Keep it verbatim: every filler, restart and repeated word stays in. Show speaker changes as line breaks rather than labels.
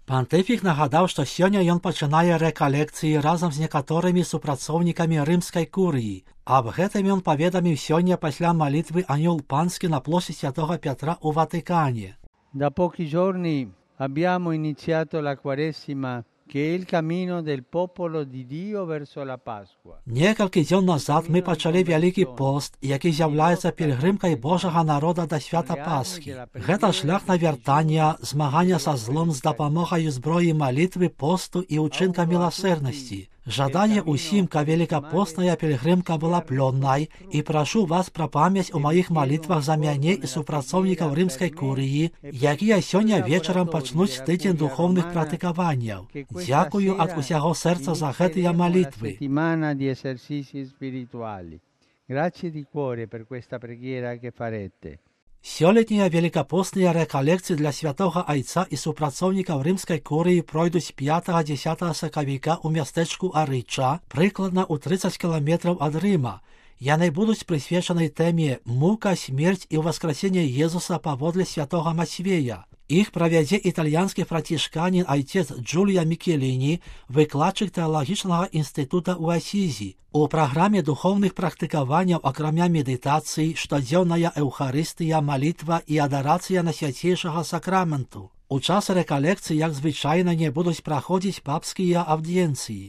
Пантыфік нагадаў, што сёння ён пачынае рэкалекцыі разам з некаторымі супрацоўнікамі рымскай курыі. Аб гэтым ён паведаміў сёння пасля малітвы Анёл Панскі на плошчы Святого Петра ў Ватыкане.
Da pochi giorni abbiamo iniziato la Quaresima, che è il cammino del popolo di Dio verso la Pasqua.
Некалькі дзён назад мы пачалі вялікі пост, які з'яўляецца пільгрымкай Божага народа да свята Пасхі. Гэта шлях навяртання, змагання са злом з дапамогай зброі малітвы, посту і ўчынка міласэрнасці. Жадае ўсім, каб великапостная пільгрымка была плённай, і прашу вас пра памяць у маіх малітвах за мяне і супрацоўнікаў рымскай курыі, якія сёння вечарам пачнуць тыдзень духоўных практыкаванняў. Дзякую ад усяго сэрца за гэтыя малітвы.
Grazie di cuore per questa preghiera che farete.
Сёлетнія великапостныя рэкалекцыі для святога айца і супрацоўнікаў рымскай курыі пройдуць пятага-дзесятага сакавіка ў мястэчку Арыча, прыкладна ў трыццаць кіламетраў ад Рыма. Яны будуць прысвечанай тэме «Мука, смерць і ўваскрасенне Езуса паводле святога Мацвея». Іх правядзе італьянскі францішканін айцец Джулія Мікеліні, выкладчык тэалагічнага інстытута ў Асізі. У праграме духоўных практыкаванняў, акрамя медытацыі, штодзённая эўхарыстыя, малітва і адарацыя на свяцейшага сакраменту. У час рэкалекцыі, як звычайна, не будуць праходзіць папскія аўдыенцыі.